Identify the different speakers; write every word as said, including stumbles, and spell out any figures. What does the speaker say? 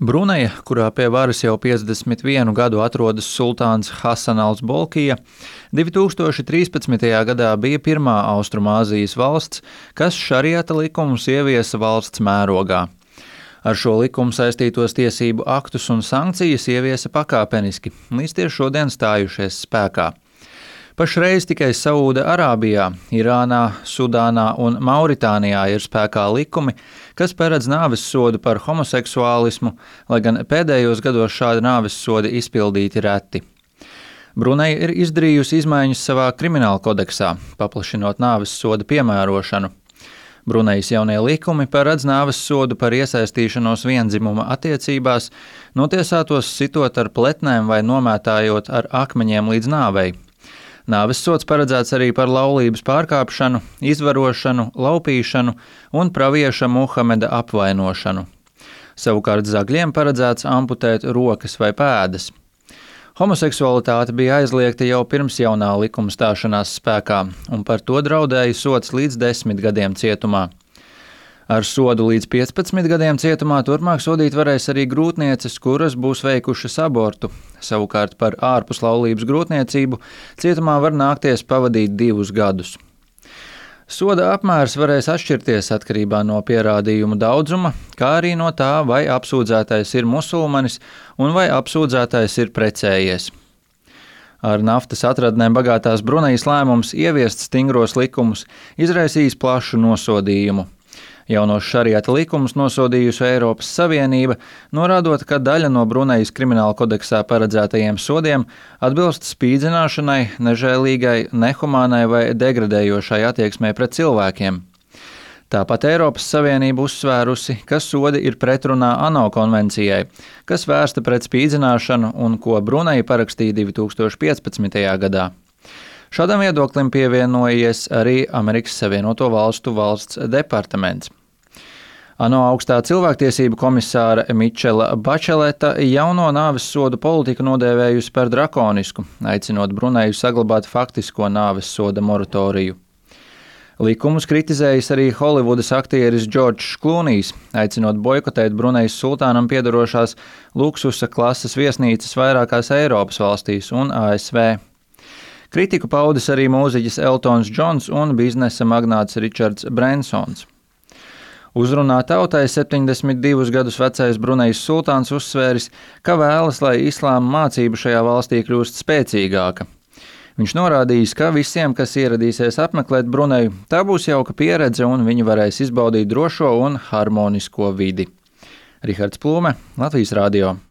Speaker 1: Bruneja, kurā pie varas jau piecdesmit vienu gadu atrodas sultāns Hasanals Bolkija, divi tūkstoši trīspadsmitajā gadā bija pirmā Austrumāzijas valsts, kas šariata likumus ieviesa valsts mērogā. Ar šo likumu saistītos tiesību aktus un sankcijas ieviesa pakāpeniski, līdz tie šodien stājušies spēkā. Pašreiz tikai Saūda Arābijā, Irānā, Sudānā un Mauritānijā ir spēkā likumi, kas paredz nāvessodu par homoseksuālismu, lai gan pēdējos gados šādi nāvessodi izpildīti reti. Bruneja ir izdarījusi izmaiņas savā krimināla kodeksā, paplašinot nāvessoda piemērošanu. Brunejas jaunie likumi paredz nāvessodu par iesaistīšanos vienzimuma attiecībās, notiesātos sitot ar pletnēm vai nomētājot ar akmeņiem līdz nāvei. Nāvessods paredzēts arī par laulības pārkāpšanu, izvarošanu, laupīšanu un pravieša Muhameda apvainošanu. Savukārt zagļiem paredzēts amputēt rokas vai pēdas. Homoseksualitāte bija aizliegta jau pirms jaunā likuma stāšanās spēkā, un par to draudēja sods līdz desmit gadiem cietumā. Ar sodu līdz piecpadsmit gadiem cietumā turpmāk sodīt varēs arī grūtnieces, kuras būs veikušas abortu. Savukārt par ārpuslaulības grūtniecību cietumā var nākties pavadīt divus gadus. Soda apmērs varēs atšķirties atkarībā no pierādījumu daudzuma, kā arī no tā, vai apsūdzētais ir musulmanis un vai apsūdzētais ir precējies. Ar naftas atradnēm bagātās Brunejas lēmums ieviest stingros likumus izraisījis plašu nosodījumu. Jaunos šariata likumus nosodījusi Eiropas Savienība, norādot, ka daļa no Brunejas krimināla kodeksā paredzētajiem sodiem atbilst spīdzināšanai, nežēlīgai, nehumānai vai degradējošai attieksmei pret cilvēkiem. Tāpat Eiropas Savienība uzsvērusi, ka sodi ir pretrunā ANO konvencijai, kas vērsta pret spīdzināšanu un ko Bruneja parakstīja divi tūkstoši piecpadsmitajā gadā. Šādam viedoklim pievienojies arī Amerikas Savienoto Valstu valsts departaments. ANO augstā cilvēktiesību komisāra Mičela Bačeleta jauno nāvessodu politiku nodēvējusi par drakonisku, aicinot Bruneju saglabāt faktisko nāvessoda moratoriju. Likumus kritizējis arī Holivudas aktieris Džordžs Klūnijs, aicinot boikotēt Brunejas sultānam piedarošās luksusa klases viesnīcas vairākās Eiropas valstīs un A S V. Kritiku paudis arī mūziķis Eltons Džons un biznesa magnāts Ričards Brensons. Uzrunā tautai septiņdesmit divus gadus vecais Brunejas sultāns uzsvēris, ka vēlas, lai islāma mācība šajā valstī kļūst spēcīgāka. Viņš norādījis, ka visiem, kas ieradīsies apmeklēt Bruneju, tā būs jauka pieredze un viņi varēs izbaudīt drošo un harmonisko vidi. Rihards Plūme, Latvijas radio.